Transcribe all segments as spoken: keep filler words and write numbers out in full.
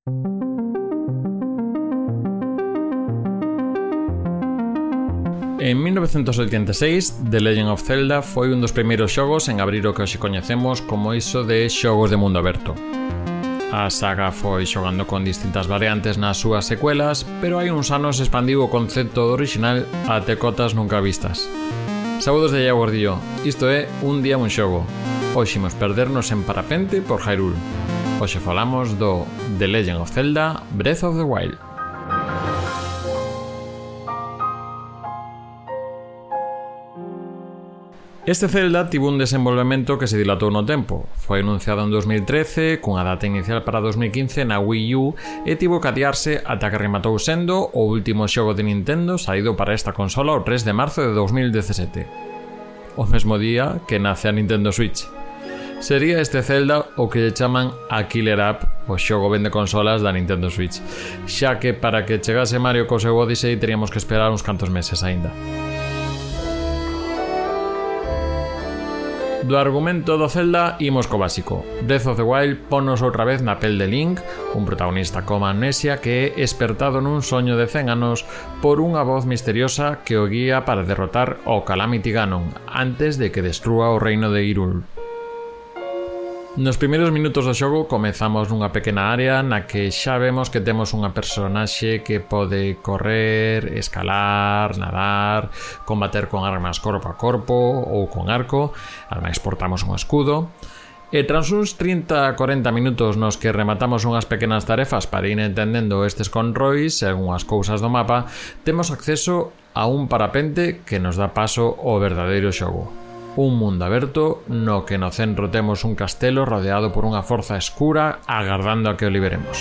En mil novecientos oitenta e seis, The Legend of Zelda foi un dos primeiros xogos en abrir o que hoxe coñecemos como iso de xogos de mundo aberto. A saga foi xogando con distintas variantes nas súas secuelas, pero hai uns anos expandiu o concepto do original até cotas nunca vistas. Saúdos de Iago Gordillo, isto é Un día un xogo. Hoxe imos perdernos en parapente por Hyrule. Hoxe falamos do The Legend of Zelda Breath of the Wild. Este Zelda tivo un desenvolvemento que se dilatou no tempo. Foi anunciado en dos mil trece, cunha data inicial para dos mil quince na Wii U e tivo que adiarse ata que rematou sendo o último xogo de Nintendo saído para esta consola o tres de marzo de dos mil dezasete. O mesmo día que nace a Nintendo Switch. Sería este Zelda o que lle chaman a Killer App, o xogo vende consolas da Nintendo Switch, xa que para que chegase Mario co seu Odyssey teríamos que esperar uns cantos meses aínda. Do argumento do Zelda imos co básico. Breath of the Wild ponnos outra vez na pel de Link, un protagonista con amnesia que é espertado nun soño de cen anos por unha voz misteriosa que o guía para derrotar o Calamity Ganon antes de que destrúa o reino de Hyrule. Nos primeiros minutos do xogo comezamos nunha pequena área na que xa vemos que temos unha personaxe que pode correr, escalar, nadar, combater con armas corpo a corpo ou con arco, ademais portamos un escudo. E tras uns trinta a corenta minutos nos que rematamos unhas pequenas tarefas para ir entendendo estes controis e algunhas cousas do mapa, temos acceso a un parapente que nos dá paso ao verdadeiro xogo. Un mundo aberto no que no centro temos un castelo rodeado por unha forza escura agardando a que o liberemos.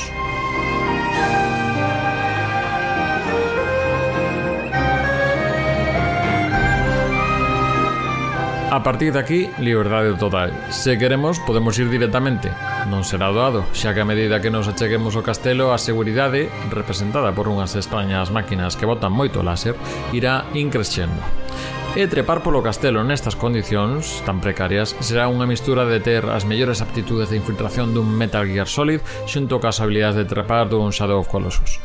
A partir de aquí, liberdade total. Se queremos, podemos ir directamente. Non será doado, xa que a medida que nos acheguemos ao castelo, a seguridade, representada por unhas extrañas máquinas que botan moito láser, irá increxendo. E trepar polo castelo nestas condicións tan precarias será unha mistura de ter as mellores aptitudes de infiltración dun Metal Gear Solid xunto cas habilidades de trepar dun Shadow of Colossus.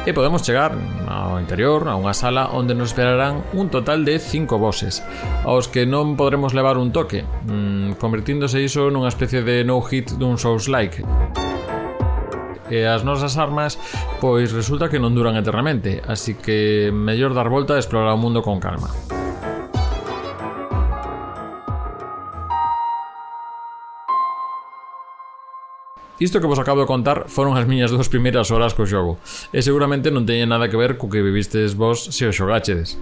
E podemos chegar ao interior, a unha sala onde nos esperarán un total de cinco bosses, aos que non podremos levar un toque, mmm, convertíndose iso nunha especie de no-hit dun Souls-like. E as nosas armas, pois resulta que non duran eternamente, así que mellor dar volta e explorar o mundo con calma. Isto que vos acabo de contar foron as miñas dúas primeiras horas co xogo, e seguramente non teñen nada que ver co que vivistes vos se o xogáchedes.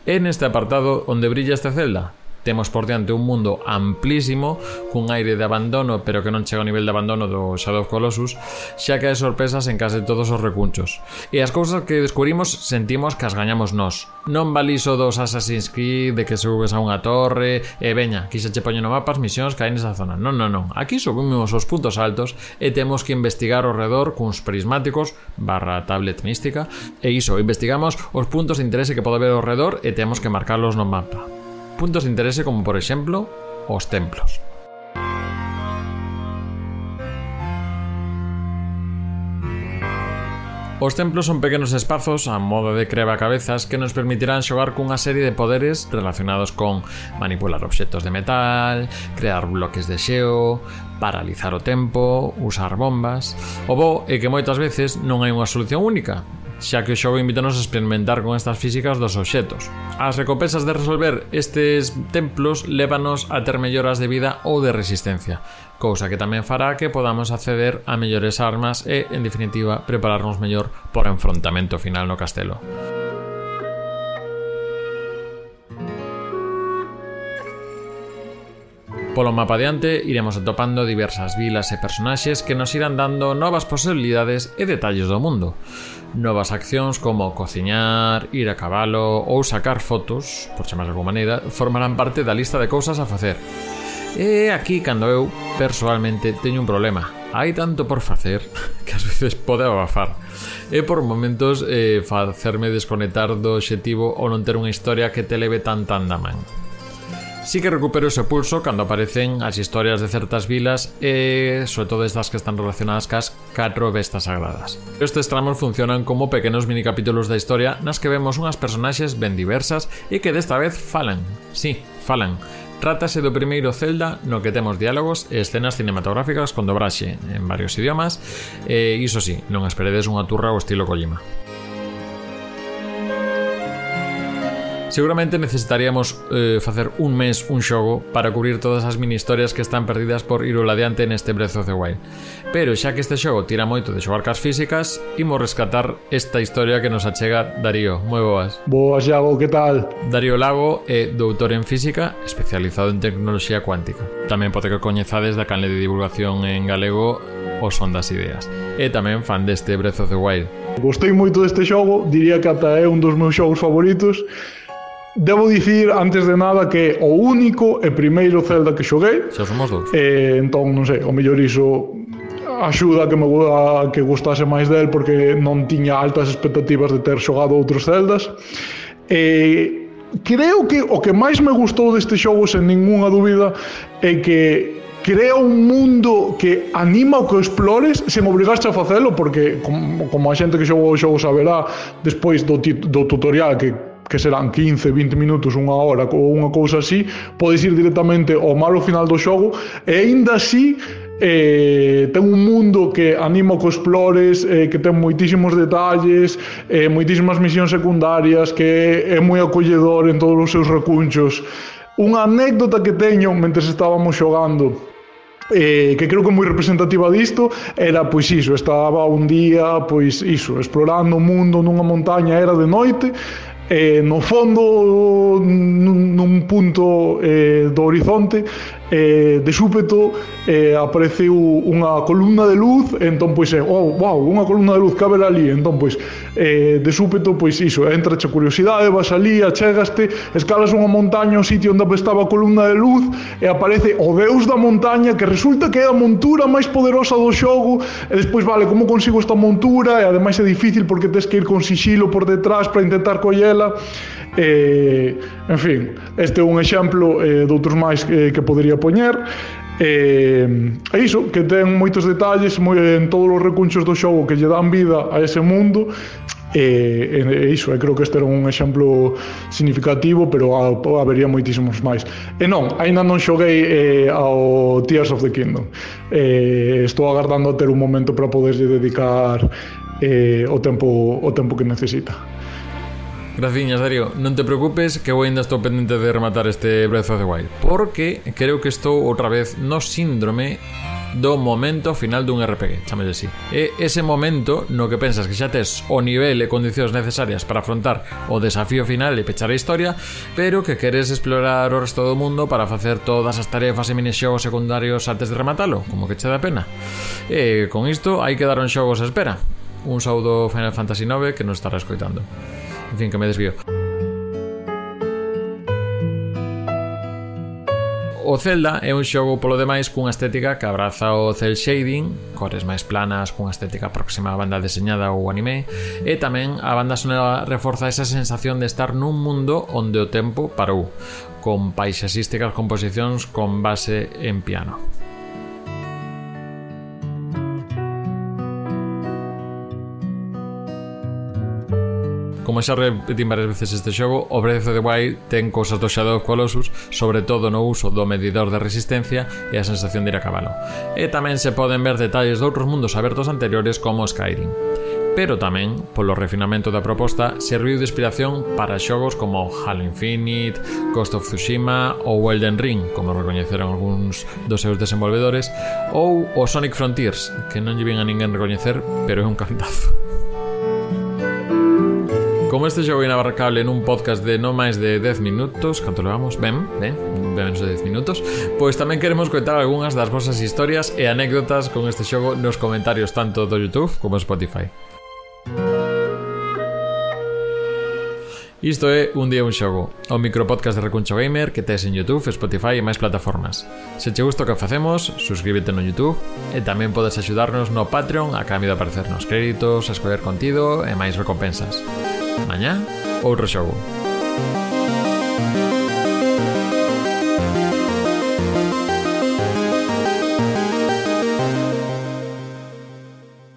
É neste apartado onde brilla este Zelda. Temos por diante un mundo amplísimo, cun aire de abandono, pero que non chega ao nivel de abandono do Shadow of Colossus, xa que hai sorpresas en case todos os recunchos. E as cousas que descubrimos sentimos que as gañamos nós. Non valiso dos Assassin's Creed de que subes a unha torre e veña, aquí xa che poñen no mapa as misións que hai nesa zona. Non, non, non. Aquí subimos os puntos altos e temos que investigar ao redor cuns prismáticos barra tablet mística e iso, investigamos os puntos de interese que pode haber ao redor e temos que marcarlos no mapa. Puntos de interese como, por exemplo, os templos. Os templos son pequenos espazos a modo de crebacabezas que nos permitirán xogar cunha serie de poderes relacionados con manipular obxectos de metal, crear bloques de xeo, paralizar o tempo, usar bombas. O bo é que moitas veces non hai unha solución única, xa que o xogo invítanos a experimentar con estas físicas dos obxectos. As recompensas de resolver estes templos lévanos a ter melloras de vida ou de resistencia, cousa que tamén fará que podamos acceder a mellores armas e, en definitiva, prepararnos mellor por enfrontamento final no castelo. Polo mapa adiante iremos atopando diversas vilas e personaxes que nos irán dando novas posibilidades e detalles do mundo. Novas accións como cociñar, ir a cabalo ou sacar fotos, por chamar de alguma maneira, formarán parte da lista de cousas a facer. E aquí cando eu, persoalmente, teño un problema. Hai tanto por facer que ás veces pode abafar. E por momentos eh, facerme desconectar do obxectivo ou non ter unha historia que te leve tan tan da man. Sí que recupero ese pulso cando aparecen as historias de certas vilas e, sobre todo, estas que están relacionadas cas catro bestas sagradas. Estes tramos funcionan como pequenos minicapítulos da historia nas que vemos unhas personaxes ben diversas e que desta vez falan. Sí, falan. Trátase do primeiro Zelda no que temos diálogos e escenas cinematográficas con dobraxe en varios idiomas e, iso sí, non esperedes unha turra ao estilo Kojima. Seguramente necesitaríamos eh, facer un mes un xogo para cubrir todas as mini historias que están perdidas por ir adiante neste Breath of the Wild. Pero xa que este xogo tira moito de xogar cas físicas, imos rescatar esta historia que nos achega Darío. Moi boas. Boas, Iago, que tal? Darío Lago é doutor en física, especializado en tecnoloxía cuántica. Tamén pode que coñezades da canle de divulgación en galego O Son das Ideas. E tamén fan deste Breath of the Wild. Gostei moito deste xogo, diría que ata é un dos meus xogos favoritos. Debo dicir, antes de nada, que o único e primeiro Zelda que xoguei. Xa somos dous. Eh, entón, non sei, o mellor iso axuda a que me a que gustase máis del, porque non tiña altas expectativas de ter xogado outros Zeldas. Eh, creo que o que máis me gustou deste xogo, sen ninguna dúbida, é que crea un mundo que anima o que explores sen obrigarse a facelo, porque como, como a xente que xogou o xogo saberá, despois do, do tutorial que que serán quince, vinte minutos, unha hora ou unha cousa así, podes ir directamente ao malo final do xogo e aínda así eh, ten un mundo que anima que explores, eh, que ten moitísimos detalles, eh, moitísimas misións secundarias, que é moi acolledor en todos os seus recunchos. Unha anécdota que teño mentre estábamos xogando, Eh, que creo que é moi representativa disto, era pois iso, estaba un día pois iso, explorando o mundo nunha montaña, era de noite, e no fondo nun, nun punto eh, do horizonte eh, de súpeto eh, apareceu unha columna de luz, entón pois é, oh, wow, unha columna de luz que haber ali, entón pois eh, de súpeto pois iso, entra a curiosidade, vas ali, achegaste, escalas unha montaña ao sitio onde estaba a columna de luz e aparece o deus da montaña, que resulta que é a montura máis poderosa do xogo, e despois, vale, como consigo esta montura? E ademais é difícil porque tens que ir con sixilo por detrás para intentar collela. Eh, en fin, este é un exemplo eh, de outros máis eh, que podería poñer. Eh, é iso, que ten moitos detalles moi, en todos os recunchos do xogo que lle dan vida a ese mundo. E, e iso, e creo que este era un exemplo significativo, pero a, a, habería moitísimos máis. E non, aínda non xoguei eh, ao Tears of the Kingdom. Eh, estou agardando a ter un momento para poderlle dedicar eh, o tempo o tempo que necesita. Graciñas, Darío. Non te preocupes, que eu ainda estou pendente de rematar este Breath of the Wild, porque creo que estou outra vez no síndrome do momento final dun R P G, chámelle así. E ese momento no que pensas que xa tes o nivel e condicións necesarias para afrontar o desafío final e pechar a historia, pero que queres explorar o resto do mundo para facer todas as tarefas e minixogos secundarios antes de rematalo, como que che dá pena. E con isto hai que dar un xogos a espera. Un saúdo Final Fantasy nove que nos estará escoitando. En fin, que me desvío. O Zelda é un xogo polo demais cunha estética que abraza o cel shading, cores máis planas cunha estética próxima á banda deseñada ou anime, e tamén a banda sonora reforza esa sensación de estar nun mundo onde o tempo parou, con paisaxísticas composicións con base en piano. Como xa repetín varias veces este xogo, o Breath of the Wild ten cousas do Shadow of Colossus, sobre todo no uso do medidor de resistencia e a sensación de ir a cabalo. E tamén se poden ver detalles de outros mundos abertos anteriores como Skyrim. Pero tamén, polo refinamento da proposta, serviu de inspiración para xogos como Halo Infinite, Ghost of Tsushima ou Elden Ring, como recoñeceron algúns dos seus desenvolvedores, ou o Sonic Frontiers, que non lle vin a ninguén recoñecer, pero é un cantazo. Como este xogo inabarcable nun podcast de non máis de dez minutos, canto levamos? Ben, ben, ben menos de dez minutos. Pois tamén queremos contar algunhas das vosas historias e anécdotas con este xogo nos comentarios tanto do YouTube como Spotify. Isto é Un Día Un Xogo, o micropodcast de Recuncho Gamer que tes en YouTube, Spotify e máis plataformas. Se che gusta o que facemos, suscríbete no YouTube e tamén podes axudarnos no Patreon a cambio de aparecernos créditos, a escoller contido e máis recompensas. Mañá, outro xogo.